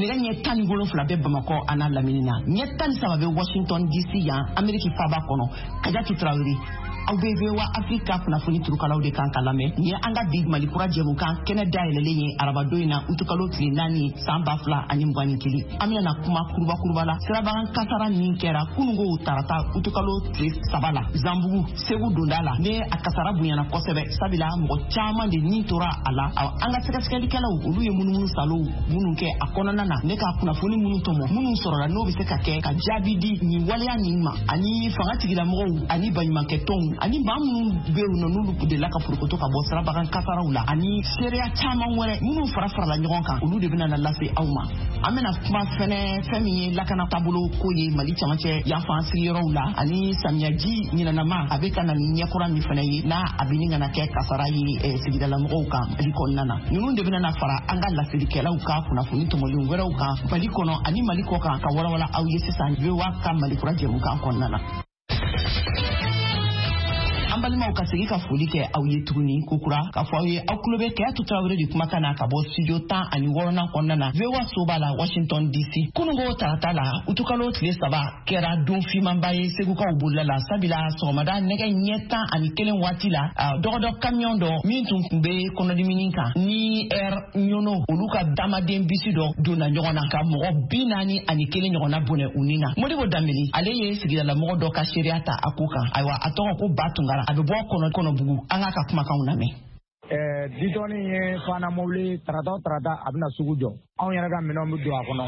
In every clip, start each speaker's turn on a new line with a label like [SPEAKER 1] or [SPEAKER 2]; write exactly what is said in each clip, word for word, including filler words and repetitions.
[SPEAKER 1] Nɛgɛ ɲɛ tan ni wolonfila bɛ Bamakɔ a n'a lamini na, ɲɛ tan ni saba bɛ Washington D C yan, Ameriki faaba kɔnɔ. Kajatu Tarawele, aw bɛ V O A Afrika kunnafoni turukalaw de kan ka lamɛn. Nin ye an ka bi Mali Kura jɛmukan kɛnɛ dayɛlɛlen ye, arabadon in na, utukalo tile naani, san ba fila ani mugan ni kelen. An bɛna kuma kuruba kuruba la sirabakan kasara min kɛra kununko tarata, utukalo tile saba la, Zanbugu Segu donda la. Ne a kasara bonyana kosɛbɛ, sabula mɔgɔ caman de nin tora a la. An ka sɛgɛsɛgɛlikɛlaw, olu ye munumunu salow minnu kɛ a kɔnɔna na, ne ka kunnafoni minnu tɔmɔ, minnu sɔrɔla, n'o bɛ se ka kɛ ka jaabi di nin waleya nin ma, ani fanga tigilamɔgɔw ani baɲumankɛtɔnw ani maa minnu bɛ yen nɔ, n'olu delila ka forokoto ka bɔ sirabakan kasaraw la, ani seereya caman wɛrɛ minnu fara farala ɲɔgɔn kan, olu de bɛna na lase aw ma. An bɛna kuma fɛnɛ fɛn min ye lakana taabolo ko ye Mali camancɛ yanfan sigiyɔrɔw la, ani samiyaji ɲinanama a bɛ ka na ni ɲɛkura min fɛnɛ ye, n'a a bɛ ni kana kɛ kasara ye eh, sigidalamɔgɔw kan Mali kɔnɔna na. Ninnu de bɛna na fara an ka laselikɛlaw ka kunnafoni tɔmɔlen wɛrɛw kan Mali kɔnɔ ani Mali kɔ kan, ka walawala aw ye sisan V O A ka Mali Kura jɛmukan kɔnɔna na. An balimaw, ka segi ka foli kɛ aw ye tuguni kokura, k'a fɔ aw ye aw tulo bɛ Kɛyatu Tarawele de kumakan na ka bɔ studio tan ani wɔɔrɔnan kɔnɔna na, V O A soba la, Washington D C. Kununko tarata la, utukalo tile saba, kɛra don fimanba ye Segukaw bolila la, sabila sɔgɔmada nɛgɛ ɲɛ tan ani kelen waati la, dɔgɔdɔ kamiyɔn dɔ min tun kun bɛ kɔnɔdimini kan ni Air Ɲɔnɔ, olu ka taamaden bisi dɔ donna ɲɔgɔn na ka mɔgɔ bi naani ani kelen ɲɔgɔnna bɔnɛ u ni na. Modibo Danbele, ale ye sigidalamɔgɔ dɔ ka seereya ta a ko kan. Ayiwa, a tɔgɔ ko Ba Tunkara, a bɛ bɔ kɔnɔ Kɔnɔbugu. An k'a ka kumakanw lamɛn.
[SPEAKER 2] Ditɔni ye fana mobili, tarata o tarata a bɛna sugu jɔ, anw yɛrɛ ka minɛnw bɛ don a kɔnɔ.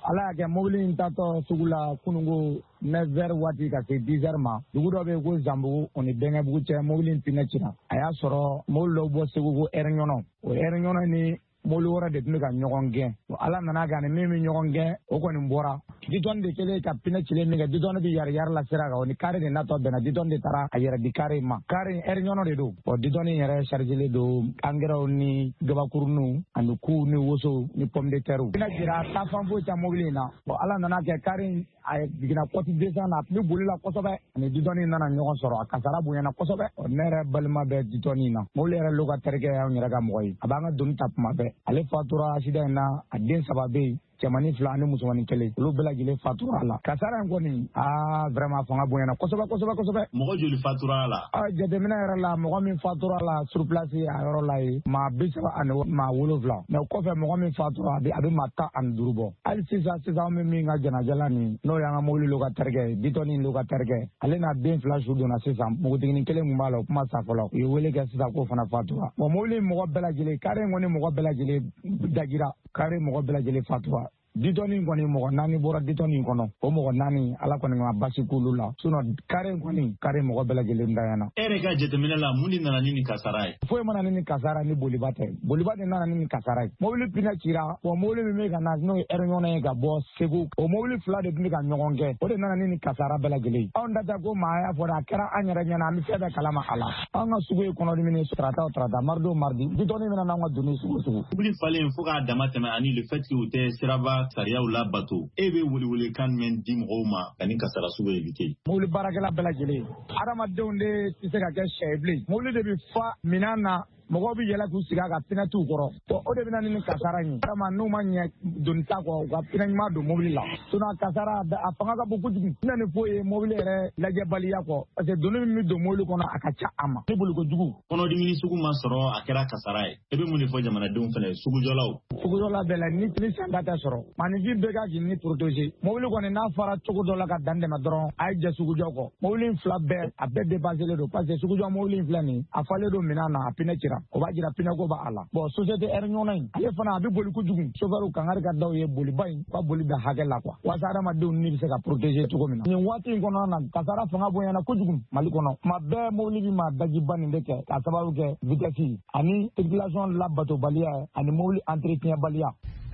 [SPEAKER 2] Ala y'a kɛ, mobili in tatɔ sugu la kununko neuf heures waati ka se dix heures ma, dugu dɔ bɛ yen ko Zanbugu, o ni Bɛnkɛbugu cɛ, mobili in pinɛ cira. A y'a sɔrɔ mobili dɔw bɔ Segu ko Air Ɲɔnɔ, o Air Ɲɔnɔ ni mobili wɛrɛ de tun bɛ ka ɲɔgɔn gɛn. Ala nana kɛ, ani min bɛ ɲɔgɔn gɛn, o kɔni bɔra. Ditɔni de kɛlen ka pinɛ cilen min kɛ, ditɔni bɛ yari yari la sira kan, o ni kari de natɔ bɛnna. Ditɔni de taara a yɛrɛ di kari ma. Kari in, Air Ɲɔnɔ de don. Ɔ ditɔni yɛrɛ chargelen don angɛrɛw ni gabakuruninw ani kuw ni wosow ni pomme de terre. Pinɛ jira, taafan foyi tɛ mobili in na. Bon, Ala nana kɛ, kari in a jiginna côte descend na, a tun bɛ boli la kosɛbɛ, ani ditɔni nana ɲɔgɔn sɔrɔ, a kasara bonyana kosɛbɛ. Ne yɛrɛ balima bɛ ditɔni in na, mobili yɛrɛ locataire kɛ y'anw yɛrɛ ka mɔgɔ ye, a b'an ka doni ta tuma bɛɛ. Ale fatura accident in na. A den saba bɛ yen, cɛmannin fila ani musomannin kelen, olu bɛɛ lajɛlen fatura a la. Kasara in kɔni, aa, vraiment, fanga bonyana kosɛbɛ kosɛbɛ kosɛbɛ.
[SPEAKER 3] Mɔgɔ joli fatura a la?
[SPEAKER 2] A jateminɛ yɛrɛ la, mɔgɔ min fatura a la sur place, a yɔrɔ la ye maa bi saba ani maa wolonfila. Mais o kɔfɛ, mɔgɔ min fatura, a bɛ a bɛ maa tan ani duuru bɔ. Hali sisan sisan, an bɛ min ka jɛnajɛ la nin, n'o y'an ka mobili locataire kɛ, ditɔni locataire kɛ, ale n'a den fila su donna sisan. Npogotiginin kelen kun b'a la, o kuma sa fɔlɔ, u ye wele kɛ sisan k'o fana fatura. Bon, mobili mɔgɔ bɛɛ lajɛlen, kari in kɔni mɔgɔ bɛɛ lajɛlen dajira, kari mɔgɔ bɛɛ lajɛlen fatura. Ditɔni kɔni, mɔgɔ naani bɔra ditɔni kɔnɔ. O mɔgɔ naani, Ala kɔni ma basi k'olu la. Sinon kari kɔni, kari mɔgɔ bɛɛ lajɛlen dayana.
[SPEAKER 3] E yɛrɛ ka jateminɛ la, mun de nana ni nin kasara ye?
[SPEAKER 2] Foyi mana ni nin kasara ni boliba tɛ. Boliba de nana ni nin kasara ye. Mobili pinɛ cira. Wa mobili min bɛ ka na, n'o ye Air Ɲɔnɔ ye ka bɔ Segu, o mobili fila de tun bɛ ka ɲɔgɔn gɛn, o de nana ni nin kasara bɛɛ lajɛlen ye. Anw da tɛ ko maa y'a fɔ dɛ, a kɛra an yɛrɛ ɲɛna, an bɛ fɛn bɛɛ kalama a la. An ka sugu ye kɔnɔdimini, tarata o tarata, mardi o mardi, ditɔni bɛna n'anw ka doni sugu sugu.
[SPEAKER 3] Mobili falen fo k'a dama tɛmɛ, ani le fait que u tɛ siraba sariyaw labato, e bɛ welewelekan jumɛn di mɔgɔw ma ka nin kasara sugu éviter?
[SPEAKER 2] Mobili baarakɛla bɛɛ lajɛlen, adamadenw de tɛ se ka kɛ sɛ ye bilen. Mobili de bɛ fa minan na, mɔgɔw bɛ yɛlɛ k'u sigi a ka, pinɛ t'u kɔrɔ. Bon, o de bɛ na ni nin kasara in ye. Vraiment, n'u ma ɲɛ doni ta kɔ, u ka pinɛ ɲuman don mobili la. Sinon kasara a fanga ka bon kojugu. N na ni foyi ye mobili yɛrɛ lajɛbaliya kɔ, parce que doni min bɛ don mobili kɔnɔ, a ka ca a ma ni boli kojugu.
[SPEAKER 3] Kɔnɔdimini sugu ma sɔrɔ, a kɛra kasara ye. E bɛ mun de fɔ jamanadenw fɛnɛ, sugujɔlaw?
[SPEAKER 2] Sugujɔla bɛɛ la, ni ni sanda tɛ sɔrɔ, maninfin bɛɛ ka k'i ni protéger. Mobili kɔni n'a fara cogo dɔ la ka dan tɛmɛ dɔrɔn, a ye jɛ sugujɔ kɔ. Mobili in fila bɛɛ, a bɛɛ dépassé don, parce que sugujɔ mobili in filɛ nin, a falen don minɛn na, a pinɛ cira, o b'a jira pinɛko b'a la. Bon, société Air Ɲɔnɔ in, ale fana a bɛ boli kojugu. Chauffeur, kangari ka daw ye, boliba in, u ka boli da hakɛ la quoi, walasa adamadenw ni bɛ se ka protéger cogo min na. Nin waati in kɔnɔna na, kasara fanga bonyana kojugu Mali kɔnɔ. Tuma bɛɛ mobili bɛ maa dajiba nin de kɛ, k'a sababu kɛ vitesse ani circulation labatobaliya ani mobili entretien baliya.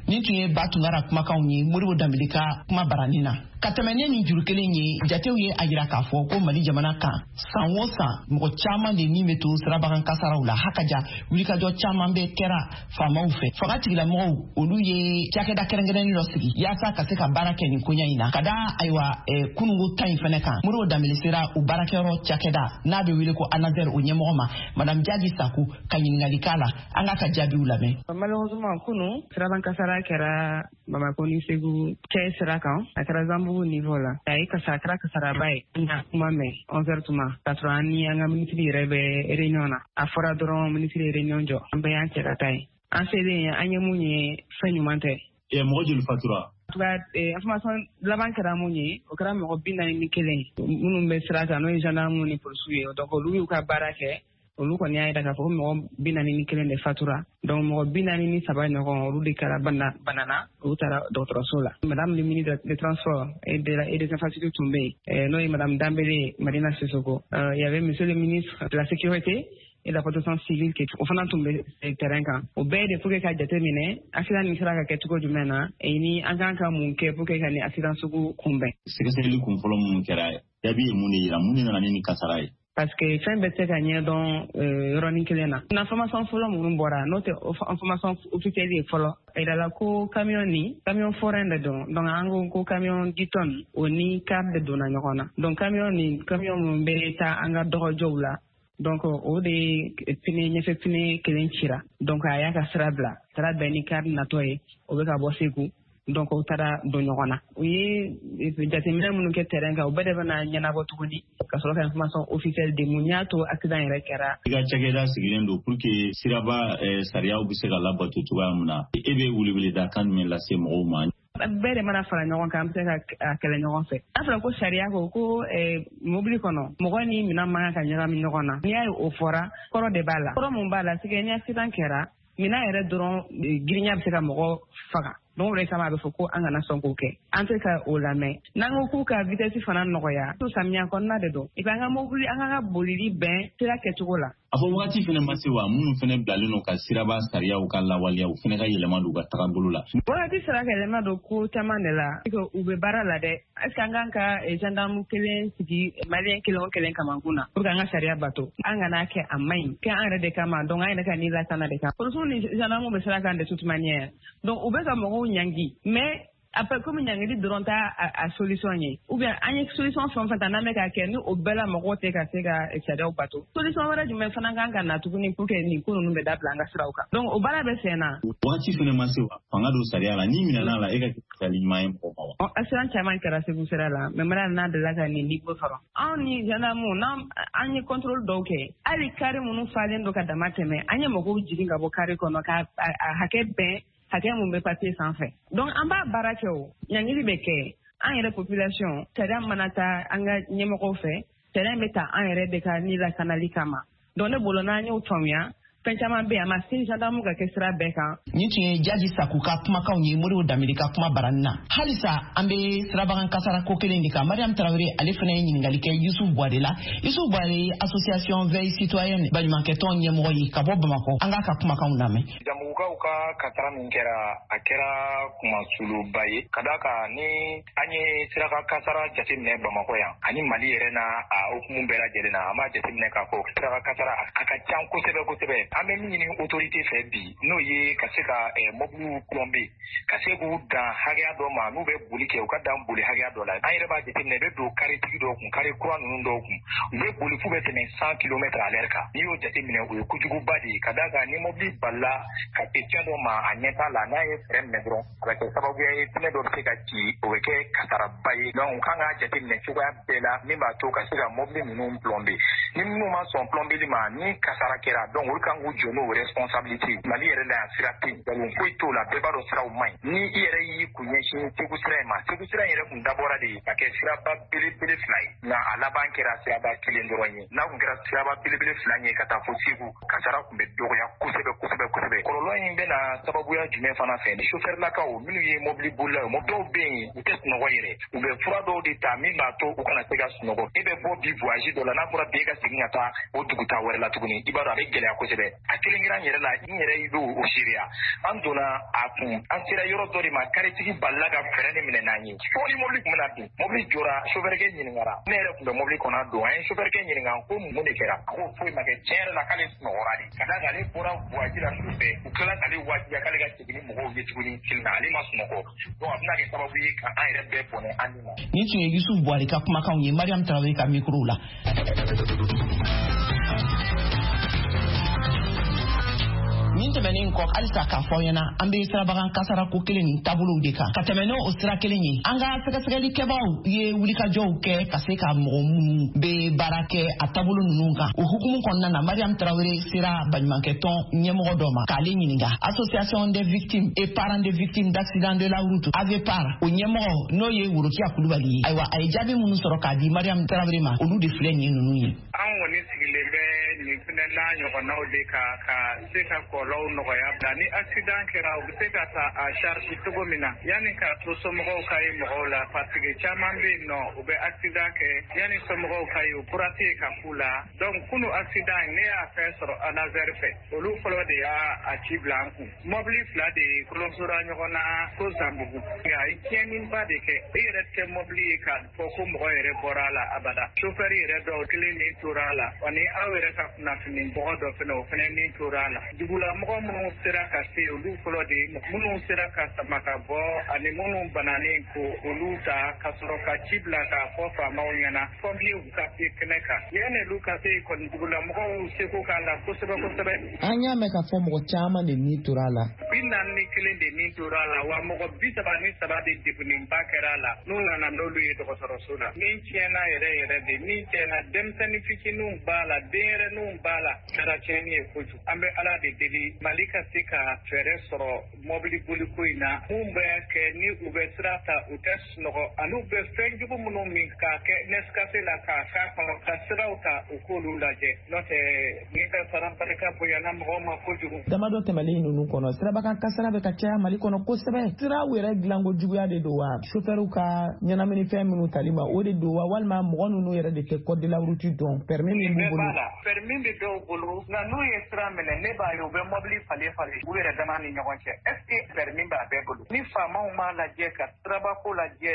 [SPEAKER 1] Nin tun ye Ba Tunkara kumakanw ye Modibo Danbele ka kuma barani na. Ka tɛmɛ ne ni juru kelen ye, jatew ye a yira k'a fɔ ko Mali jamana kan, san o san, mɔgɔ caman de min bɛ to sirabakan kasaraw la. Hakaja wulikajɔ caman bɛ kɛra faamaw fɛ. Fanga tigilamɔgɔw, olu ye cakɛda kɛrɛnkɛrɛnnen dɔ sigi yaasa ka se ka baara kɛ nin koɲa in na. Ka da ayiwa eh, kununko ta in fɛnɛ kan, Modibo Danbele sera u baarakɛyɔrɔ cakɛda n'a bɛ wele ko ANASER, o ɲɛmɔgɔ ma, Madame Jaji Sako, ka ɲininkali k'a la. An k'a ka jaabiw lamɛn.
[SPEAKER 4] Malheureusement, kunu siraban kasara Kasara kɛra Bamakɔ ni Segu cɛ sira kan, a kɛra Zanbugu niveau la. A ye kasara kɛra kasaraba ye. N y'a kuma mɛn onze heures tuma, k'a sɔrɔ an ni an ka minisiri yɛrɛ bɛ réunion na. A fɔra dɔrɔn minisiri ye réunion jɔ, an bɛɛ y'an cɛ ka taa yen. An selen an ye mun ye, fɛn ɲuman tɛ.
[SPEAKER 3] Mɔgɔ joli fatura?
[SPEAKER 4] En tout cas, information laban kɛra mun ye, o kɛra mɔgɔ bi naani ni kelen ye minnu bɛ sira kan, n'o ye gendarme ni polisiw ye. Donc olu y'u ka baara kɛ, olu kɔni y'a jira k'a fɔ ko mɔgɔ bi naani ni kelen de fatura. Donc mɔgɔ bi naani ni saba ɲɔgɔn, olu de kɛra banana, olu taara dɔgɔtɔrɔso la. Madame le ministre des Transports et de la et des Infrastructures tun bɛ yen, n'o ye madame Dambélé Madina Sissoko. Il y avait monsieur le ministre de la Sécurité et la protection civile qui o fana tun bɛ terrain kan. O bɛɛ de pour que ka jate minɛ accident nin sera ka kɛ cogo jumɛn na, ni an kan ka mun kɛ pour que ka nin accident sugu kunbɛn.
[SPEAKER 3] Sɛgɛsɛgɛli kun fɔlɔ minnu kɛra, jaabi ye mun de yira, mun de nana ni nin kasara ye?
[SPEAKER 4] Parce que fɛn bɛɛ tɛ se ka ɲɛdɔn yɔrɔnin kelen na. Information fɔlɔ minnu bɔra, n'o tɛ information officielle ye fɔlɔ, a yirala ko camion ni camion forain de don. Donc an ko ko camion dix tonnes o ni car de donna ɲɔgɔn na. Donc camion ni camion minnu bɛ taa an ka dɔgɔjɔw la, donc o de pine ɲɛfɛ pine kelen cira. Donc a y'a ka sira bila, sira bɛn ni car natɔ ye, o bɛ ka bɔ Segu. Donc o taara don ɲɔgɔn na. U ye jateminɛ minnu kɛ terrain kan, o bɛɛ de bɛna ɲɛnabɔ tuguni ka sɔrɔ ka information officielle di mun y'a to accident yɛrɛ kɛra.
[SPEAKER 3] I ka cakɛda sigilen don pour que siraba sariyaw bɛ se ka labato cogoya min na, e bɛ weleweleda kan jumɛn lase mɔgɔw ma?
[SPEAKER 4] Bɛɛ de mana fara ɲɔgɔn kan, an bɛ se ka kɛlɛ ɲɔgɔn fɛ. N'a fɔra ko sariya ko ko mobili kɔnɔ mɔgɔ ni minɛn man kan ka ɲagami ɲɔgɔn na, n'i y'a ye o fɔra, kɔrɔ de b'a la. Kɔrɔ mun b'a la, c'est que ni accident kɛra, minɛn yɛrɛ dɔrɔn girinya bɛ se ka mɔgɔ faga. Donc o de kama a bɛ fɔ ko an kana sɔn k'o kɛ. An tɛ ka o lamɛn. N'an ko k'u ka vitesse fana nɔgɔya, to samiya kɔnɔna de don. Et puis an ka mobili, an ka bolili bɛn sira kɛcogo la.
[SPEAKER 3] A fɔ wagati fana ma se wa, minnu fana bilalen don ka siraba sariyaw ka lawaleya, u fana ka yɛlɛma don u ka tagabolo la.
[SPEAKER 4] Wagati sera ka yɛlɛma don ko caman de la. U bɛ baara la dɛ. Est-ce que an kan ka gendarme kelen sigi malien kelen o kelen kamankun na pour que an ka sariya bato? An kana kɛ a man ɲi. Kɛ an yɛrɛ de kama, donc an yɛrɛ ka ni lakana de kama. Polisiw ni gendarme bɛ sira kan de toute manière. Donc u bɛ ka mɔgɔw ɲangi, mais après comme ɲangili dɔrɔn t'a a solution ye, ou bien an ye solution fɛn o fɛn ta n'an bɛ k'a kɛ, ni o bɛɛ la mɔgɔw tɛ ka se ka sariyaw bato, solution wɛrɛ jumɛn fana kan ka na tuguni pour que nin ko ninnu bɛ dabila an ka siraw kan? Donc o baara bɛ sen na.
[SPEAKER 3] Wagati fana ma se wa, fanga don sariya la, n'i minɛna la, e ka kɛ misali ɲuman ye mɔgɔw ma wa?
[SPEAKER 4] Accident caman kɛra Segu sira la, mais mara n'a delila ka nin niveau sɔrɔ. Anw ni gendarme n'an an ye contrôle dɔw kɛ, hali kari minnu falen don ka dama tɛmɛ, an ye mɔgɔw jigin ka bɔ kari kɔnɔ ka a hakɛ bɛn hakɛ mun bɛ papier sanfɛ. Donc an b'a baara kɛ, o ɲangili bɛ kɛ. An yɛrɛ population, sariya mana taa an ka ɲɛmɔgɔw fɛ, sariya bɛ ta an yɛrɛ de ka ni lakanali kama. Donc ne bolo n'an y'o faamuya, fɛn caman bɛ yen, a ma se gendarme ka kɛ sira bɛɛ kan.
[SPEAKER 1] Nin tun ye Jaji Saku ka kumakanw ye Moribo Danbele ka kuma barani na. Halisa an bɛ sirabakan kasara ko kelen de kan. Mariam Traoré ale fana ye ɲininkali kɛ Yusuf Buwade la. Yusuf Buwade ye association Veille citoyenne baɲumankɛtɔn ɲɛmɔgɔ ye ka bɔ Bamakɔ. An k'a ka kumakanw lamɛn.
[SPEAKER 5] Jamugukaw ka kasara min kɛra, a kɛra kumasuluba ye. Ka d'a kan ni an ye siraka kasara jateminɛ Bamakɔ yan ani Mali yɛrɛ n'a a hukumu bɛɛ lajɛlen na, an b'a jateminɛ k'a fɔ siraka kasara a ka ca kosɛbɛ kosɛbɛ. An bɛ min ɲini autorité fɛ bi, n'o ye ka se ka mobiliw plomber, ka se k'u dan hakɛya dɔ ma, n'u bɛ boli kɛ u ka dan boli hakɛya dɔ la. An yɛrɛ b'a jateminɛ, i bɛ don karitigi dɔw kun, kari kura ninnu dɔw kun, u bɛ boli f'u bɛ tɛmɛ cent kilomètres à l'heure kan. N'i y'o jateminɛ, o ye kojuguba de ye. Ka d'a kan ni mobili balila ka se fɛn dɔ ma, a ɲɛ t'a la, n'a ye frein minɛ dɔrɔn, a bɛ kɛ sababuya ye pneu dɔ bɛ se ka ci, o bɛ kɛ kasaraba ye. Donc u kan k'a jateminɛ cogoya bɛɛ la min b'a to ka se ka mobili ninnu plomber. Ni minnu ma sɔn plombeli ma, ni kasara kɛra, donc olu kan k'u jɔ n'o responsabilité. Mali yɛrɛ la yan, sira tɛ yen, nkalon foyi t'o la, bɛɛ b'a dɔn siraw man ɲi. Ni i yɛrɛ y'i kun ɲɛsin Segu sira in ma, Segu sira in yɛrɛ kun dabɔra de ka kɛ siraba belebele fila ye, nka a laban kɛra siraba kelen dɔrɔn ye. N'a kun kɛra siraba belebele fila ye ka taa fo Segu, kasara kun bɛ dɔgɔya kosɛbɛ kosɛbɛ kosɛbɛ. Kɔlɔlɔ in bɛna sababuya jumɛn fana fɛ? Ni sofɛrilakaw minnu ye mobili bolilaw ye, dɔw bɛ yen u tɛ sunɔgɔ yɛrɛ, u bɛ fura dɔw de ta min b'a to u kana se ka sunɔgɔ. E bɛ bɔ bi voyage dɔ la, n'a fɔra bi e ka segin ka taa o dugutaa wɛrɛ la tuguni, i b'a dɔn a bɛ gɛlɛya kosɛbɛ. A kelen kelen yɛrɛ la, n yɛrɛ y'o o seereya. An donna a kun, an sera yɔrɔ dɔ de ma, karitigi balila ka frein de minɛ n'an ye. Fo ni mobili kun bɛna bin, mobili jɔra, sofɛrikɛ ɲininkara. Ne yɛrɛ kun bɛ mobili kɔnɔ a don, an ye sofɛrikɛ ɲininka ko mun de kɛra. A ko foyi ma kɛ, tiɲɛ yɛrɛ la k'ale sunɔgɔra de. Ka d'a kan ale bɔra voyage la su fɛ, u tilala k'ale wajibiya k'ale ka segin ni mɔgɔw ye tuguni kelen na, ale ma sunɔgɔ. Donc a bɛna kɛ sababu ye ka an yɛrɛ bɛɛ bɔnɛ an ni ma.
[SPEAKER 1] Nin tun ye Yusuf Buwade ka kumakanw ye Mariam Traoré ka micro la. Nin Nin tɛmɛnen kɔ, halisa k'a fɔ ɲɛna, an bɛ sirabakan kasara ko kelen nin taabolow de kan. Ka tɛmɛ n'o sira kelen ye, an ka sɛgɛsɛgɛlikɛbaaw ye wulikajɔw kɛ ka se ka mɔgɔ minnu bɛ baara kɛ a taabolo ninnu kan. O hukumu kɔnɔna na, Mariam Traoré sera baɲumankɛtɔn ɲɛmɔgɔ dɔ ma k'ale ɲininka. Association des victimes et parents des victimes d'accident de la route, AVEPAR, o ɲɛmɔgɔ n'o ye Worokiya Kulubali ye. Ayiwa, a ye jaabi minnu sɔrɔ k'a di Mariam Traoré ma, olu de filɛ nin ninnu ye.
[SPEAKER 6] An kɔni sigilen bɛ nin fɛnɛ n'a ɲɔgɔnnaw de kan ka se ka kɔlɔlɔw nɔgɔya bila. Ni accident kɛra, u bɛ se ka ta a charge cogo min na yanni k'a to somɔgɔw ka ye mɔgɔw la, parce que caman bɛ yen nɔ, u bɛ accident kɛ yanni somɔgɔw ka ye, o fura tɛ yen ka k'u la. Donc kunu accident, ne y'a fɛn sɔrɔ ANASER fɛ, olu fɔlɔ de y'a a ci bila an kun. Mɔbili fila de kolonsora ɲɔgɔn na ko Zanbugu, nka a ye tiɲɛniba de kɛ. I yɛrɛ tɛ mɔbili ye k'a fɔ ko mɔgɔ yɛrɛ bɔra a la abada. Chauffeur yɛrɛ dɔw kelen min tora a la, ani aw yɛrɛ ka kunnafoni mɔgɔ dɔ fɛnɛ, o fɛnɛ min tora a la. Dugulamɔgɔ minnu sera ka se, olu fɔlɔ de minnu sera ka sama ka bɔ, ani minnu bananen ko olu ta ka sɔrɔ ka ci bila k'a fɔ faamaw ɲɛna, pompiers ka se kɛnɛ kan. Yanni olu ka se kɔni, dugulamɔgɔw seko k'a la kosɛbɛ kosɛbɛ.
[SPEAKER 7] An y'a mɛn k'a fɔ mɔgɔ caman de ni tora a la.
[SPEAKER 6] Bi naani ni kelen de ni tora a la, wa mɔgɔ bi saba ni saba de degunnenba kɛra a la, n'u nana n'olu ye dɔgɔtɔrɔso la. Min tiɲɛna yɛrɛ yɛrɛ de, min tiɲɛna, denmisɛnnin fitininw b'a la, denyɛrɛninw b'a la, kɛra tiɲɛni ye kojugu. An bɛ Ala de deli Mali ka se ka fɛɛrɛ sɔrɔ mɔbili boliko in na. Mun bɛ kɛ ni u bɛ sira ta, u tɛ sunɔgɔ, ani u bɛ fɛn jugu minnu min k'a kɛ Nescafé la k'a k'a kɔnɔ ka siraw ta, u k'olu lajɛ, n'o tɛ ni ka sara barika bonyana mɔgɔw ma kojugu.
[SPEAKER 7] Damadɔ tɛmɛlen ninnu kɔnɔ, sirabakan kasara bɛ ka caya Mali kɔnɔ kosɛbɛ. Siraw yɛrɛ dilanko juguya de don wa, sofɛriw ka ɲɛnaminifɛn minnu tali ma, o de don wa, walima mɔgɔ ninnu yɛrɛ de tɛ code de la route dɔn, permis min b'u bolo?
[SPEAKER 6] Permis bɛ dɔw bolo, nka n'u ye sira minɛ, ne b'a ye u bɛ mɔbili falen falen u yɛrɛ dama ni ɲɔgɔn cɛ. Est ce que permis b'a bɛɛ bolo? Ni faamaw m'a lajɛ ka sirabako lajɛ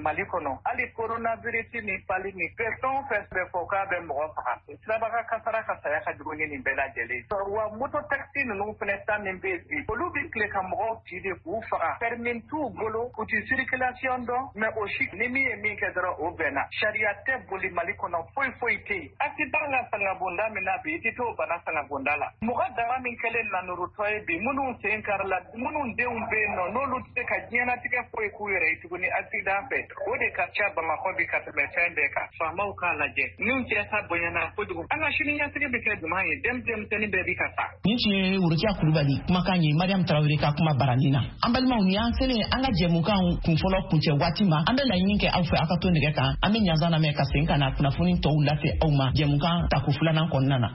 [SPEAKER 6] Mali kɔnɔ, hali coronavirus ni pali ni bɛɛ, fɛn o fɛn bɛ fɔ k'a bɛ mɔgɔ faga, sirabaka kasara ka saya ka jugu ni nin bɛɛ lajɛlen. Wa moto taxi ninnu fɛnɛ ta min bɛ yen bi, olu bɛ tile ka mɔgɔw ci de k'u faga. Permis t'u bolo, u ti circulation dɔn, mais o si ni min ye min kɛ dɔrɔn, o bɛnna. Sariya tɛ boli Mali kɔnɔ, foyi foyi tɛ yen. Accident ka sangabonda min na bi, i tɛ t'o bana sangabonda la. Mɔgɔ dama min kɛlen nanurutɔ ye bi, minnu sen kari la, minnu denw bɛ yen nɔ, n'olu tɛ se ka diɲɛlatigɛ foyi k'u yɛrɛ ye tuguni accident fɛ, o de ka ca Bamakɔ bi ka tɛmɛ fɛn bɛɛ kan. Faamaw k'a lajɛ, n'u cɛ ta bonyana kojugu, an ka sini ɲɛsigi bɛ kɛ jumɛn ye? Denmisɛnnin bɛɛ bi ka taa.
[SPEAKER 1] Nin tun ye Worokiya Kulubali kumakan ye Mariam Traoré ka kuma baranin na. An balimaw, nin y'an selen an ka jɛmukan kunfɔlɔ kuncɛ waati ma. An bɛ laɲini kɛ aw fɛ, aw ka to nɛgɛ kan. An bɛ ɲanzan lamɛn ka segin ka na kunnafoni tɔw lase aw ma jɛmukan tako filanan kɔnɔna na.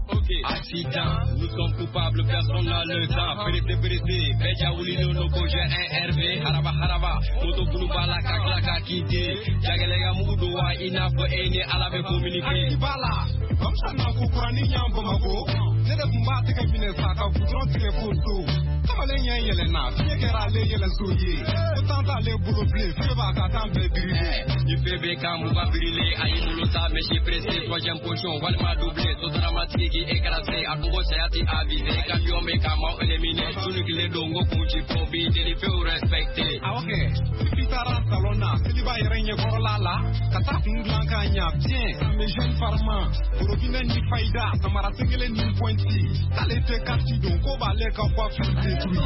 [SPEAKER 8] Ok, accident, nous sommes coupables, personne n'a le temps. Pressé, pressé, Beja Wulino, Noko, j'ai un R V, Haraba, Haraba, Moto Bouloubala, Kaklaka, Kité, Jagalega Moudouwa, Inafo, Ene, Alabe, communiqué.
[SPEAKER 9] Bala, comme ça, n'a ko kurani ɲan Bamako, ne de tun b'a tɛgɛ minɛ sa ka goudron tigɛ k'o don. Kamalen ɲɛ yɛlɛnna, fiɲɛ kɛra ale yɛlɛso ye. Ko tan t'ale bolo bilen, feu b'a ka tan bɛɛ brûlé.
[SPEAKER 8] Ni feu bɛ kan mugan brûlé, a y'i bolo ta, mais pressé, troisième position, walima doublé, sotarama tigi écrasé, a ko saya ti avisé, camion bɛ ka maaw éliminé, sunu tile don ko kun ci fo bi deli feu respecté.
[SPEAKER 9] Awɔ kɛ, Fifi taara salon na, seliba yɛrɛ ɲɛkɔrɔla la, ka taa kun dilan k'a ɲa bien, mes jeunes farman, robinet ni fayida, samara sen kelen ni pointi, k'ale tɛ kasi don, ko b'ale ka coiffure détruit.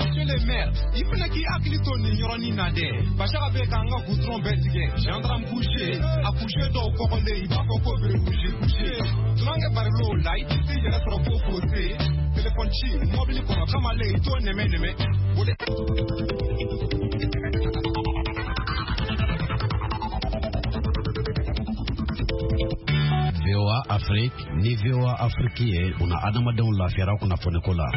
[SPEAKER 9] Monsieur le maire, i fana k'i hakili to nin yɔrɔnin na dɛ. Bachara bɛ k'an ka goudron bɛɛ tigɛ, gendarme couché, a couché dɔw kɔgɔlen, i b'a fɔ ko bere rouge couché. Tunankɛ barilow la, i tɛ s'i yɛrɛ sɔrɔ ko fossé. Téléphone ci, mobili kɔnɔ, kamalen i t'o nɛmɛ nɛmɛ. O de
[SPEAKER 10] V O A Afrique ni V O A Afrique ye, u na adamadenw lafiyara kunnafoniko la.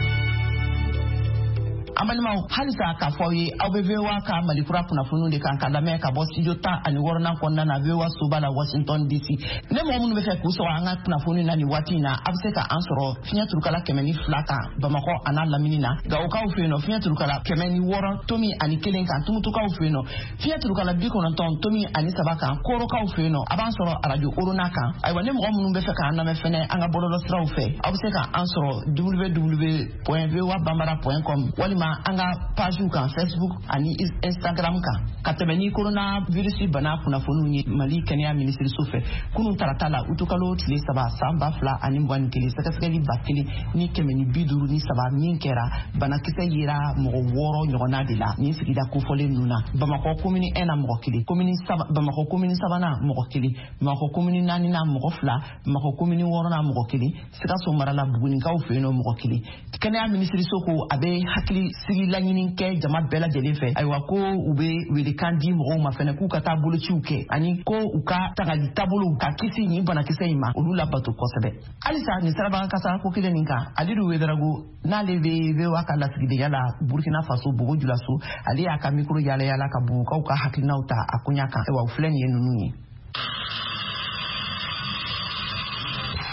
[SPEAKER 1] An balimaw, halisa k'a fɔ aw ye, aw bɛ V O A ka Malikura kunnafoniw de kan ka lamɛn ka bɔ studio tan ani wɔɔrɔnan kɔnɔna na V O A soba la Washington D C. Ne mɔgɔ minnu bɛ fɛ k'u sɔrɔ an ka kunnafoni na nin waati in na, a bɛ se ka an sɔrɔ fiɲɛ turukala kɛmɛ ni fila kan Bamakɔ a n'a lamini na. Gawokaw fɛ yen nɔ, fiɲɛ turukala kɛmɛ ni wɔɔrɔ tomi ani kelen kan. Tumutukaw fɛ yen nɔ, fiɲɛ turukala bi kɔnɔntɔn tomi ani saba kan. Korokaw fɛ yen nɔ, a b'an sɔrɔ arajo Orona kan. Ayiwa, ne mɔgɔ minnu bɛ fɛ k'an lamɛn fɛnɛ an ka bɔlɔlɔsiraw fɛ, aw bɛ se k'an sɔrɔ w w w point v o a bambara point com walima an ka pagew kan Facebook ani Instagram kan. Ka tɛmɛ ni coronavirus bana kunnafoniw ye Mali kɛnɛya minisiriso fɛ, kunun tarata la utukalo tile saba san ba fila ani mugan ni kelen, sɛgɛsɛgɛli ba kelen ni kɛmɛ ni bi duuru ni saba min kɛra, banakisɛ yera mɔgɔ wɔɔrɔ ɲɔgɔnna de la nin sigida kofɔlen ninnu na. Bamakɔ commune un na mɔgɔ kelen, commune saba, Bamakɔ commune sabanan mɔgɔ kelen, Bamakɔ commune naaninan mɔgɔ fila, Bamakɔ commune wɔɔrɔnan mɔgɔ kelen, Sikaso mara la Bugunikaw fɛ yen nɔ mɔgɔ kelen. Kɛnɛya minisiriso ko a bɛ hakili sigi laɲini kɛ jama bɛɛ lajɛlen fɛ. Ayiwa, ko u bɛ welekan di mɔgɔw ma fɛnɛ k'u ka taa bolociw kɛ ani ko u ka tagali taabolow ka kisi nin banakisɛ in ma, olu labato kosɛbɛ. Halisa nin sirabakan kasara ko kelen nin kan, Alidu Wedarago n'ale bɛ V O A ka lasigidenya la Burkina Faso Bobo Julaso, ale y'a ka mikoro yala yala ka Bobokaw ka hakilinaw ta a koɲa kan. Ayiwa, u filɛ nin ye ninnu ye.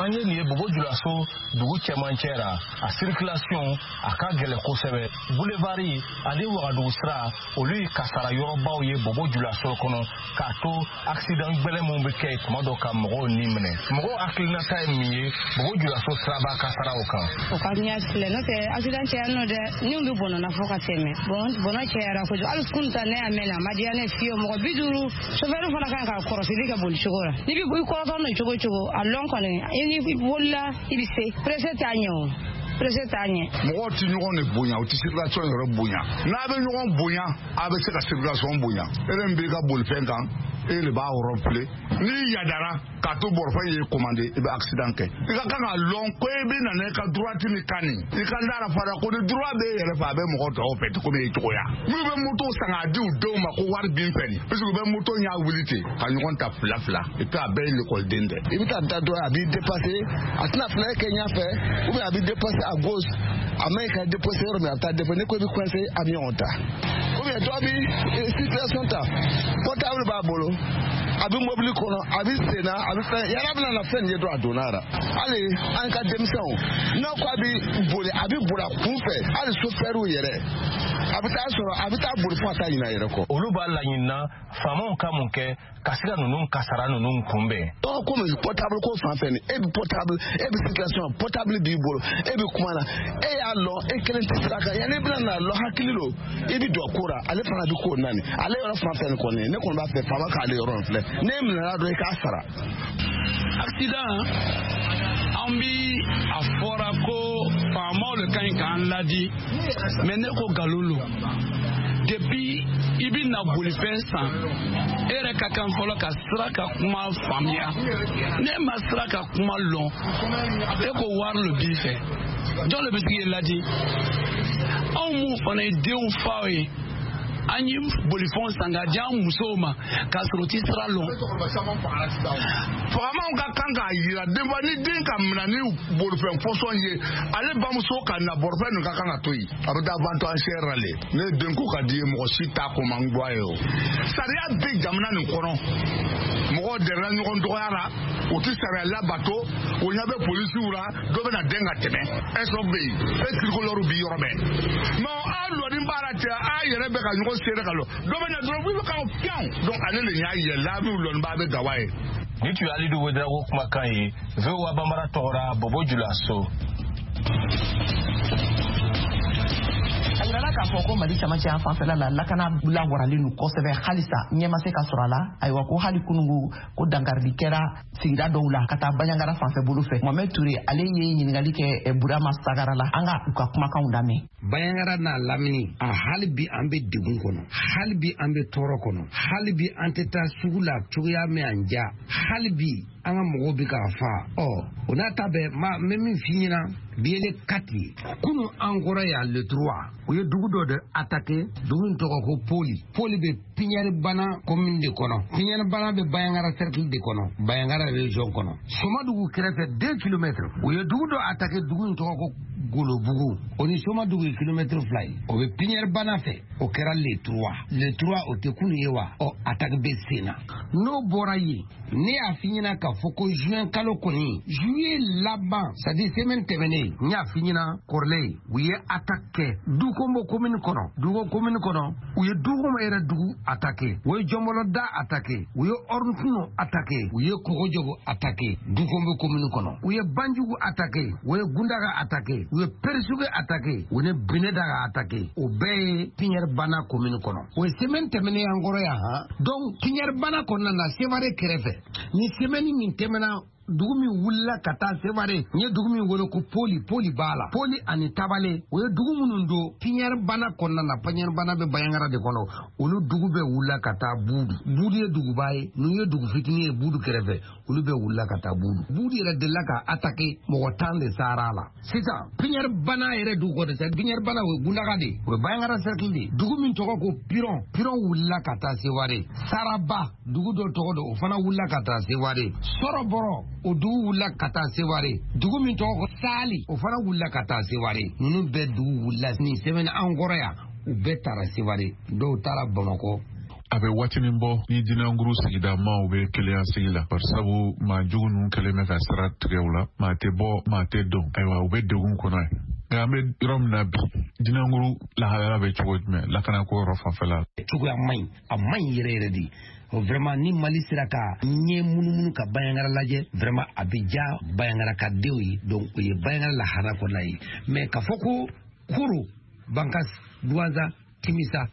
[SPEAKER 11] An ye nin ye Bobo Julaso dugu cɛmancɛ ra, a circulation a ka gɛlɛ kosɛbɛ. Boulevard ani Wagadugu sira, olu ye kasara yɔrɔbaw ye Bobo Julaso kɔnɔ, k'a to accident gbɛlɛn minnu bɛ kɛ yen tuma dɔ ka mɔgɔw ni minɛ. Mɔgɔw hakilinata ye min ye Bobo Julaso siraba kasaraw kan.
[SPEAKER 12] O ka ɲɛ filɛ, n'o tɛ accident caya nɔ dɛ, ni bɛ bɔnɔ na fo ka tɛmɛ. Bon, bɔnɔ cayara kojugu. Hali kunun ta ne y'a mɛn a ma diya ne fiyewu. Mɔgɔ bi duuru chauffeur fana kan ka kɔrɔsili kɛ boli cogo la. N'i bɛ i kɔrɔtɔ n'o cogo cogo, a lɔn kɔni i ni bolila i bɛ se. Presse t'a ɲɛ o. Presse t'a ɲɛ.
[SPEAKER 13] Mɔgɔw tɛ ɲɔgɔn de bonya, u tɛ circulation yɛrɛ bonya. N'a bɛ ɲɔgɔn bonya, a bɛ se ka circulation bonya. E de b'i ka bolifɛn kan, e de b'a yɔrɔ filɛ. N'i yadara k'a to bolifɛn ye commandé, i bɛ accident kɛ. I ka kan k'a lɔn ko e bɛ na n'i ka droite ni kan nin. I ka da la fana ko ni droit b'e yɛrɛ fɛ, a bɛ mɔgɔ tɔw fɛ komi e cogoya. N'u bɛ moto san k'a di u denw ma ko wari bin fɛ nin, parce que u bɛ moto ɲɛ wuli ten ka ɲɔgɔn ta fila fila, et puis a bɛɛ ye l'école-den dɛ.
[SPEAKER 14] I bɛ taa da dɔ ye, a b'i dépasser, a tɛna fila kɛ ɲɛfɛ, ou bien a b'i dépasser à gauche, a ma ɲi ka dépasser yɔrɔ min, a bɛ taa dépasser. N'i ko i bɛ coincer, a bɛ ɲɔgɔn ta. Ou bien dɔ bɛ situation ta, portable b'a bolo, a bɛ mobili kɔnɔ, a bɛ sen na, a bɛ fɛn, yala bɛna na fɛn nin ye dɔrɔn a donna la. Hali an ka denmisɛnw, n'a ko a bɛ boli, a bɛ boli a kun fɛ, hali sofɛriw yɛrɛ, a bɛ taa sɔrɔ a bɛ taa boli fo ka taa ɲinɛ a yɛrɛ kɔ.
[SPEAKER 11] Olu b'a laɲini faamaw ka mun kɛ ka se ka ninnu kasara ninnu kunbɛn.
[SPEAKER 14] Ɔ komi portable ko fan fɛ nin, e bɛ portable, e bɛ circulation, portable b'i bolo, e bɛ kuma na, e y'a lɔn, e kelen tɛ sira kan, yanni i bɛna na lɔn hakili lo, i bɛ don ko la, ale fana bɛ ko naani, ale yɔrɔ fan fɛ nin kɔni, ne kɔni b'a fɛ faama k'ale yɔrɔ in filɛ, n'e minɛna dɔrɔn i k'a sara.
[SPEAKER 15] Accident, an bi a fɔra ko faamaw le ka ɲi k'an ladi, mais ne ko nkalon lo. Depuis i bɛ na bolifɛn san, e yɛrɛ ka kan fɔlɔ ka sira ka kuma faamuya. Ne ma sira ka kuma lɔn, e ko wari le b'i fɛ, jɔn le bɛ se k'i ladi? Anw mun fana ye denw faw ye, an ye bolifɛnw san k'a di an musow ma k'a sɔrɔ u ti sira lɔn.
[SPEAKER 13] Faamaw ka kan k'a yira denba ni den ka minɛ ni bolifɛn fɔsɔn ye, ale bamuso ka na bolifɛn ninnu ka kan ka to yen, a bɛ taa vente enchère la le. Ne den ko ka di ye, mɔgɔ si t'a ko man bɔ a ye o. Sariya bɛ jamana nin kɔnɔ, mɔgɔw dɛrɛla ɲɔgɔn dɔgɔya la, u tɛ sariya labato, o ɲɛ bɛ polisiw la, dɔ bɛ na den ka tɛmɛ, ɛsɔ bɛ yen, e tirikɔlɔriw bɛ yɔrɔ bɛɛ. Mais a lɔni baara tɛ, a yɛrɛ bɛ ka ɲɔgɔn seere ka lɔ, dɔ bɛ na dɔrɔn wuli ka fiɲɛ. Donc ale de y'a yɛlɛ, a bɛ lɔni ba bɛ gawa ye.
[SPEAKER 11] Ni tun ye Alidu Wedarago kumakan ye V O A Bambara tɔgɔra Bobo Julaso.
[SPEAKER 1] A yirala k'a fɔ ko Mali camancɛ yan fanfɛla la, lakana lawaralen don kosɛbɛ, halisa ɲɛ ma se ka sɔrɔ a la. Ayiwa, ko hali kunungu ko dankarili kɛra sigida dɔw la ka taa Banjagara fanfɛ bolo fɛ. Mohamed Touré ale ye ɲininkali kɛ Burama Sagara la, an ka u ka kumakanw lamɛn.
[SPEAKER 16] Banjagara n'a lamini, a hali bi an bɛ degun kɔnɔ, hali bi an bɛ tɔɔrɔ kɔnɔ, hali bi an tɛ taa sugu la cogoya min an ja, hali bi an ka mɔgɔw bɛ k'a fa. Ɔ o n'a ta bɛɛ, ma n bɛ min f'i ɲɛna, bi ye le quatre kunun an kɔrɔ yan le trois, u ye dugu dɔ de attaqué, dugu in tɔgɔ ko Poli. Poli bɛ Piɲɛribana commune de kɔnɔ, Piɲɛribana bɛ Banjagara cercle de kɔnɔ, Banjagara région kɔnɔ, Somadugu kɛrɛfɛ deux kilomètres. U ye dugu dɔ attaqué, dugu in tɔgɔ ko Golobugu, o ni Somadugu ye kilomɛtiri fila ye, o bɛ Piɲɛri Bana fɛ, o kɛra le trois. Le trois o tɛ kunu ye wa? Ɔ, attaque bɛ sen na. N'o bɔra yen, ne y'a f'i ɲɛna k'a fɔ ko juin kalo kɔni, juillet laban, c'est à dire semaine tɛmɛnen, n y'a f'i ɲɛna kɔrɔlen, u ye attaque kɛ Dukombo commune kɔnɔ. Duko commune kɔnɔ, u ye Dukombo yɛrɛ dugu attaqué, u ye Jɔnbɔlɔda attaqué, u ye Ɔrɔntuno attaqué, u ye Kogojogo attaqué Dukombo commune kɔnɔ, u ye Banjugu attaqué, u ye Gundaga attaqué, u ye Perisuge attaqué, u ye Binedaga attaqué. O bɛɛ ye Piɲɛri Bana commune kɔnɔ. O ye semaine tɛmɛnen an kɔrɔ yan han. Donc Piɲɛri Bana kɔnɔna na, Sevare kɛrɛfɛ, ni semaine min tɛmɛna, dugu min wulila ka taa Sevare, n ye dugu min wele ko Poli, Poli b'a la, Poli ani Tabale, o ye dugu minnu don Piɲɛri Bana kɔnɔna na. Piɲɛri Bana bɛ Bayangara de kɔnɔ. Olu dugu bɛɛ wulila ka taa Budu. Budu ye duguba ye, ninnu ye dugu fitinin ye Budu kɛrɛfɛ, olu bɛɛ wulila ka taa Budu. Budu yɛrɛ delila ka attaqué, mɔgɔ tan de sara a la. Sisan Piɲɛri Bana yɛrɛ dugu kɔnɔ, c'est Piɲɛri Bana, o ye Gundaga de ye, o ye Bayangara cercle de ye. Dugu min tɔgɔ ko Piron, Piron wulila ka taa Sevare. Saraba, dugu dɔ tɔgɔ don, o fana wulila ka taa Sevare. Sɔrɔbɔrɔ, o dugu wulila ka taa Sevare. Dugu min tɔgɔ ko Sali, o fana wulila ka taa Sevare. Ninnu bɛɛ dugu wulila nin semaine an kɔrɔ yan, u bɛɛ taara Sevare, dɔw taara Bamakɔ.
[SPEAKER 17] A bɛ waatinin bɔ ni Dinanguru sigida maaw bɛ keleya sigi la, barisabu maa jugu ninnu kɛlen bɛ ka sira tigɛ u la, maa tɛ bɔ, maa tɛ don. Ayiwa, u bɛ degun kɔnɔ ye. Nka an bɛ yɔrɔ min na bi, Dinanguru lahalaya bɛ cogo jumɛn lakanako yɔrɔ fanfɛla la?
[SPEAKER 16] Cogoya man ɲi, a man ɲi yɛrɛ yɛrɛ de. Vraiment, ni Mali sera ka ɲɛ munumunu ka Bayangara lajɛ, vraiment a bɛ ja Bayangara ka denw ye. Donc o ye Bayangara lahara kɔnɔna ye. Mais k'a fɔ ko Koro, Bankas, Duwanza, Timisa,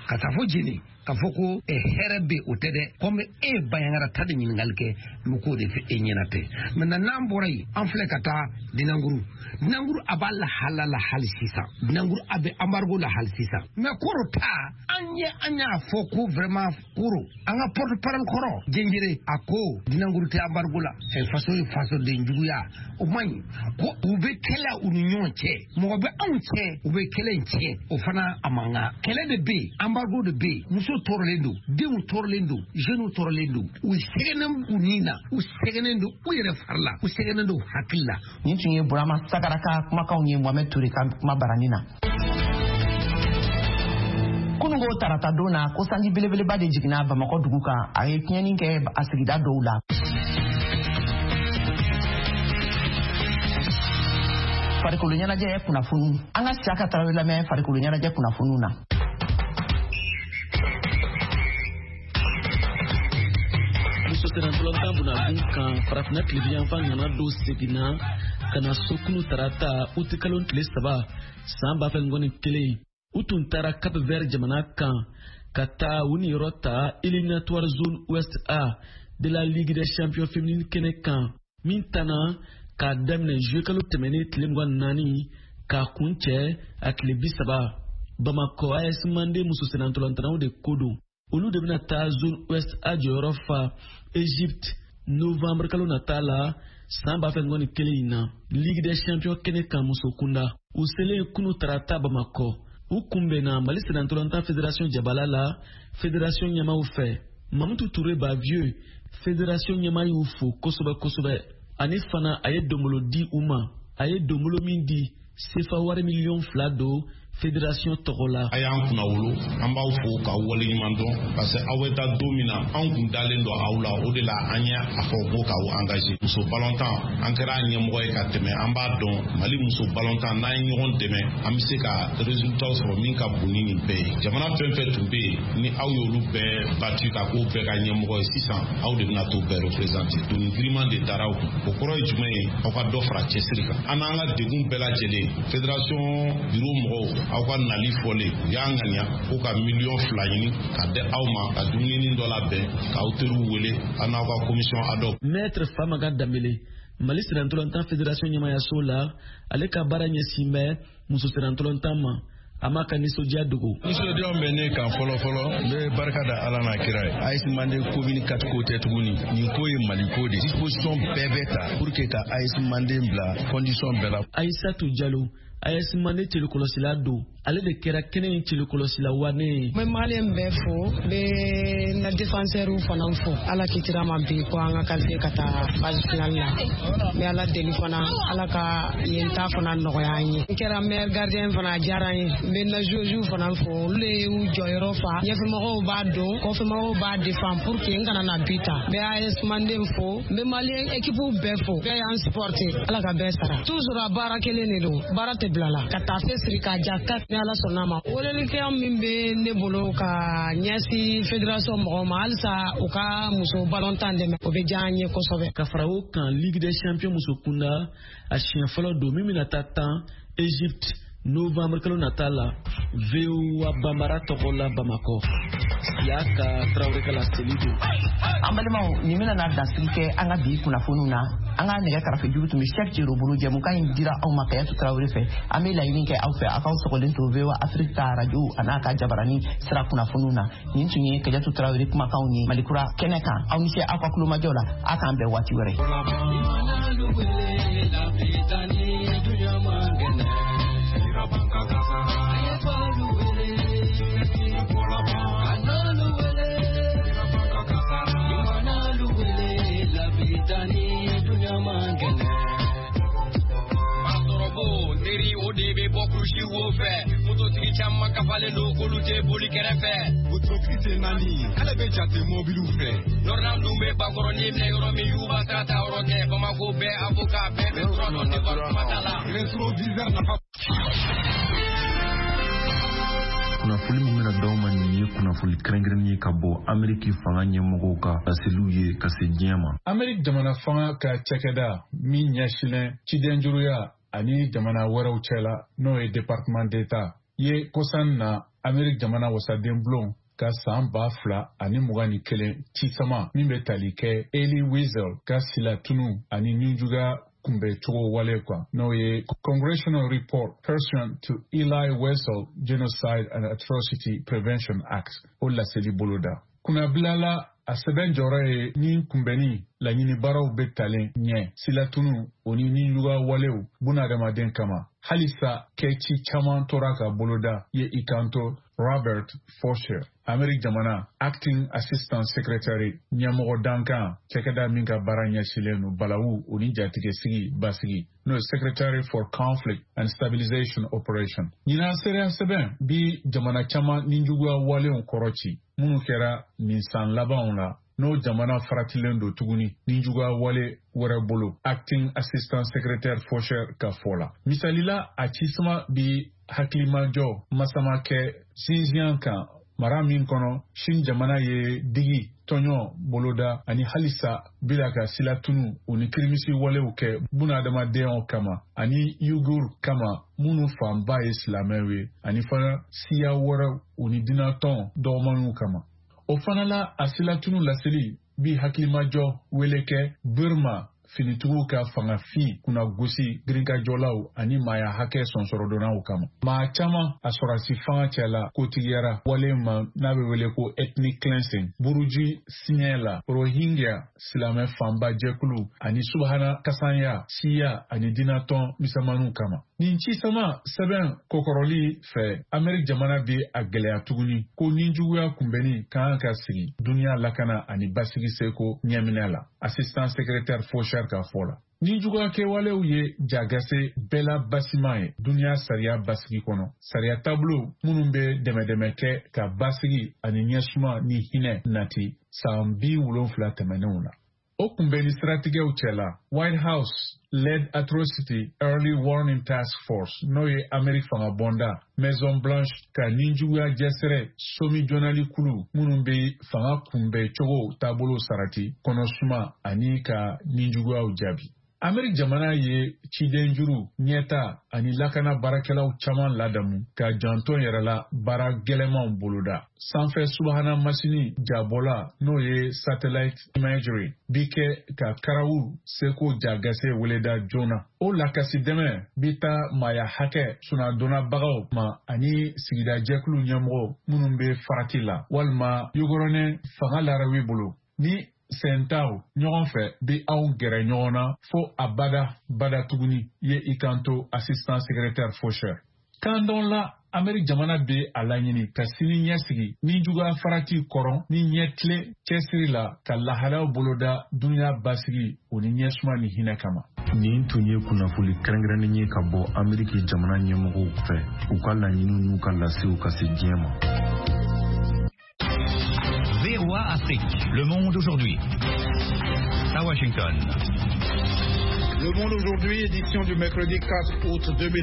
[SPEAKER 16] ka taa fɔ Jeni, k'a fɔ ko hɛrɛ bɛ, o tɛ dɛ. Komi e ye Bayangara ta de ɲininkali kɛ, n bɛ k'o de fɛ e ɲɛna tɛ. Maintenant n'an bɔra yen, an filɛ ka taa Dinanguru. Dinanguru a b'a lahala la hali sisan. Dinanguru a bɛ embargo la hali sisan. Mais Koro ta, an ye an y'a fɔ ko vraiment Koro, an ka porte parole kɔrɔ Jenjere, a ko Dinanguru tɛ embargo la. Faso ye fasoden juguya, o man ɲi. Ko u bɛ kɛlɛ u ni ɲɔgɔn cɛ, mɔgɔ bɛ anw cɛ, u bɛ kɛlɛ in tiɲɛ, o fana a man kan. Kɛlɛ de bɛ yen, embargo de bɛ yen, muso tɔɔrɔlen don, denw tɔɔrɔlen don, jeunes tɔɔrɔlen don, u sɛgɛnnen u ni na, u sɛgɛnnen don u yɛrɛ fari la, u sɛgɛnnen don hakili la.
[SPEAKER 1] Nin tun ye Burama Sagara ka kumakanw ye Mohamed Toure ka kuma barani na. Kunungo tarata don na, ko sanji belebeleba de jiginna Bamakɔ dugu kan, a ye tiɲɛni kɛ a sigida dɔw la. Farikolo ɲɛnajɛ kunnafoniw, an ka Siyaka Tarawele lamɛn farikolo ɲɛnajɛ kunnafoniw na.
[SPEAKER 18] Muso sennantolatan bunakun kan, farafinna tilebinyanfan ŋana dɔ seginna ka na so kunu tarata utikalo tile saba san ba fila mugan ni kelen. U tun taara Cap Vert jamana kan ka taa u niyɔrɔ ta éliminatoire zone Ouest A de la Ligue des champions féminine kɛnɛ kan, min tanna k'a daminɛ juillet kalo tɛmɛnen tile mugan ni naani k'a kun cɛ a tile bi saba. Bamakɔ A S Mande muso sennantolatannaw de ko don. Olu de bɛna taa zone Ouest A jɔyɔrɔ fa Egypte novembre kalo nata la san ba fila mugan ni kelen in na Ligue des champions kɛnɛ kan muso kunda. U selen kunu tarata Bamakɔ, u kunbɛnna Mali sennantolatan fédération jabala la fédération ɲɛmaaw fɛ. Mamutu Touré Bavieux, fédération ɲɛmaa, y'u fo kosɛbɛ kosɛbɛ. Ani fana a ye donbolo di u ma, a ye donbolo min di sefa wari miliyɔn fila don fédération tɔgɔ la.
[SPEAKER 19] A y'an kunna wolo, an b'aw fo k'aw waleɲuman dɔn, parce que aw bɛ taa don min na, anw kun dalen don aw la, o de la an ye a fɔ ko k'aw engagé. Muso balontan, an kɛra a ɲɛmɔgɔ ye ka tɛmɛ, an b'a dɔn Mali muso balontan, n'an ye ɲɔgɔn dɛmɛ, an bɛ se ka résultat sɔrɔ min ka bon ni nin bɛɛ ye. Jamana fɛn fɛn tun bɛ yen, ni aw y'olu bɛɛ battu ka k'o bɛɛ ka ɲɛmɔgɔ ye, sisan aw de bɛna t'o bɛɛ représenter. Doni giriman de dara aw kun. O kɔrɔ ye jumɛn ye? Aw ka dɔ fara cɛsiri kan. An n'an ka degun bɛɛ lajɛlen, fédération bureau mɔgɔw, aw ka nali fɔlen, u y'a ŋaniya ko ka miliyɔn fila ɲini ka di aw ma, ka dumuni dɔ labɛn, k'aw teriw wele, aw n'aw ka commission ad hoc.
[SPEAKER 18] Maître Famaga Danbele, Mali sennantolatan fédération ɲɛmayaso la, ale ka baara ɲɛsin bɛ muso sennantolatan ma. A ma ka nisɔndiya dogo.
[SPEAKER 20] Nisɔndiya bɛ ne kan fɔlɔ fɔlɔ, n bɛ barika da Ala n'a kira ye. A S Mande commune quatre ko tɛ tuguni, nin ko ye Mali ko de. Disposition bɛɛ bɛ ta pour que ka A S Mande bila condition bɛɛ la.
[SPEAKER 18] Aïssatou Diallo, A S Mande cɛlikɔlɔsila don, ale de kɛra kɛnɛ in cɛlikɔlɔsila wane ye.
[SPEAKER 12] N bɛ maliyɛn bɛɛ fo, n bɛ n ka défenseur fana fo. Ala kitira ma bi ko an ka qualifier ka taa phase finale la. N bɛ Ala deli fana, Ala ka yen ta fana nɔgɔya an ye. N kɛra meilleur gardien fana, a diyara n ye. N bɛ n ka joueurs fana fo, olu de y'u jɔyɔrɔ fa. Ɲɛfɛmɔgɔw b'a don, kɔfɛmɔgɔw b'a défend pour que n kana na but ta. N bɛ A S Mande fo, n bɛ maliyɛn équipe bɛɛ fo. Bɛɛ y'an supporter, Ala ka bɛɛ sara. Toujours a baara kelen de don, baara tɛ bila la. Ka taafe siri k'a ja ka ni Ala sɔnna ma. Welelikɛla min bɛ ne bolo ka ɲɛsin fédération mɔgɔw ma, halisa u ka muso balontan dɛmɛ, o bɛ diya an ye kosɛbɛ.
[SPEAKER 18] Ka fara o kan, Ligue des champions muso kunda a siɲɛ fɔlɔ don min bɛna taa tan Egypte novembre kalo nata la. V O A Bambara tɔgɔ la Bamakɔ, Siyaka Tarawele ka laseli don.
[SPEAKER 1] An balimaw, nin bɛna na dansigi kɛ an ka bi kunnafoniw na. An ka nɛgɛ karafe juru tun bɛ Cheick Jero bolo. Jɛmukan in dira aw ma Kayatu Tarawele fɛ. An bɛ laɲini kɛ aw fɛ, aw k'aw sɔgɔlen to V O A Afrique ka radio a n'a ka jabarani sira kunnafoniw na. Nin tun ye Kayatu Tarawele kumakanw ye Malikura kɛnɛ kan. Aw ni ce aw ka kulomajɔ la, a k'an bɛn waati wɛrɛ.
[SPEAKER 8] O de bɛ bɔ kurusi wo fɛ, mototigi caman kafalen don k'olu tɛ boli kɛrɛfɛ.
[SPEAKER 9] Wotoro tɛ naani, k'ale bɛ jate mɔbiliw fɛ.
[SPEAKER 8] Nɔrɔnan dun bɛ bakɔrɔnin minɛ yɔrɔ min, y'u b'a sira ta yɔrɔ tɛ. Bamakɔ bɛɛ avocat bɛɛ bɛ tura dɔn, ne ka kuma t'a la.
[SPEAKER 9] Rétroviseur nafa.
[SPEAKER 21] Kunnafoni min bɛna d'aw ma nin ye kunnafoni kɛrɛnkɛrɛnnen ye ka bɔ Ameriki fanga ɲɛmɔgɔw ka laseliw ye ka se diɲɛ ma.
[SPEAKER 17] Ameriki jamana fanga ka cakɛda min ɲɛsinnen cidenjuruya ani jamana wɛrɛw cɛla, n'o ye département d'État ye, kosan na Ameriki jamana wasaden bulon ka san ba fila ani mugan ni kelen cisama min bɛ tali kɛ Elie Wiesel ka silatunu ani nijuguya kunbɛcogo wale kan, n'o ye Congressional Report Pursuant to Elie Wiesel Genocide and Atrocity Prevention Act, o laseli boloda. Kunnabilala a sɛbɛn jɔyɔrɔ ye ni kunbɛnni laɲini baaraw bɛ talen ɲɛ silatunu o ni nijuguya walew bunadamaden kama. Halisa kɛci caman tora ka boloda ye i kanto Robert Faucher, Ameriki jamana Acting Assistant Secretary ɲɛmɔgɔ dankan cakɛda min ka baara ɲɛsilen don balawu o ni jatigɛsigi basigi, n'o ye Secretary for Conflict and Stabilization Operation. Ɲinan seereya sɛbɛn bi jamana caman nijuguya walew kɔrɔ ci minnu kɛra nin san labanw la, n'o jamana faratilen don tuguni nijuguya wale wɛrɛ bolo, Acting Assistant Secretary Faucher ka fɔ la. Misalila, a cisama bi hakilimajɔ masama kɛ Xinjiang kan, mara min kɔnɔ Chine jamana ye digi tɔɲɔ boloda ani halisa bila ka silatunu o ni kirimisi walew kɛ bunadamadenyaw kama ani Uyghur kama minnu fanba ye silamɛw ye, ani fana siya wɛrɛw o ni dinatɔn dɔgɔmanw kama. O fana la, a silatunu laseli bi hakilimajɔ wele kɛ Burma finitigiw ka fangafin kunnagosi girinkajɔlaw ani maaya hakɛ sɔnsɔrɔdonnaw kama. Maa caman a sɔrɔsi fanga cɛla kotigiyara wale ma n'a bɛ wele ko ethnic cleansing buruji siɲɛ la, Rohingya silamɛ fanba jɛkulu ani subahana kasanya siya ani dinatɔn misɛnmaninw kama. Nin cisama sɛbɛn kɔkɔrɔli fɛ, Ameriki jamana bɛ a gɛlɛya tuguni ko nijuguya kunbɛnni ka kan ka sigi duniya lakana ani basigi seko ɲɛminɛ la, Assistant Secrétaire Faucher ka fɔ la. Nijuguya kɛwalew ye jagase bɛɛ la basiman ye duniya sariya basigi kɔnɔ, sariya taabolo minnu bɛ dɛmɛdɛmɛ kɛ ka basigi ani ɲɛsuma ni hinɛ nati san bi wolonfila tɛmɛnenw la. O kunbɛnni siratigɛw cɛla, White House Led Atrocity Early Warning Task Force, n'o ye Ameriki fanga bɔnda Maison Blanche ka nijuguya jɛsɛrɛ somi jɔnali kulu minnu bɛ fanga kunbɛn cogo taabolo sarati kɔnɔsuma ani ka nijuguyaw jaabi. Ameriki jamana ye cidenjuru ɲɛta ani lakana baarakɛlaw caman ladamu ka janto yɛrɛ la baara gɛlɛmanw boloda. Sanfɛ subahana masini jabɔla, n'o ye satellite imagery, bi kɛ ka karawu seko jagase weleda joona. O lakasi dɛmɛ bi taa maaya hakɛ sunadonnabagaw ma ani sigidajɛkulu ɲɛmɔgɔ minnu bɛ farati la walima yogɔrɔnɛ fanga larawi bolo. Ni sentaw ɲɔgɔn fɛ bi anw gɛrɛ ɲɔgɔn na fo abada bada tuguni, ye i kanto assistant secrétaire Faucher. Kan dɔn la, Ameriki jamana bɛ a laɲini ka sini ɲɛsigi ni juguya farati kɔrɔ ni ɲɛtile cɛsiri la ka lahalaw boloda dunuya basigi o ni ɲɛsuma ni hinɛ kama.
[SPEAKER 21] Nin tun ye kunnafoli kɛrɛnkɛrɛnnen ye ka bɔ Ameriki jamana ɲɛmɔgɔw fɛ, u ka laɲiniw n'u ka lasew ka se diɲɛ ma.
[SPEAKER 2] V O A Afrique, Le Monde aujourd'hui. À Washington.
[SPEAKER 22] Le Monde aujourd'hui, édition du mercredi quatre août deux mille.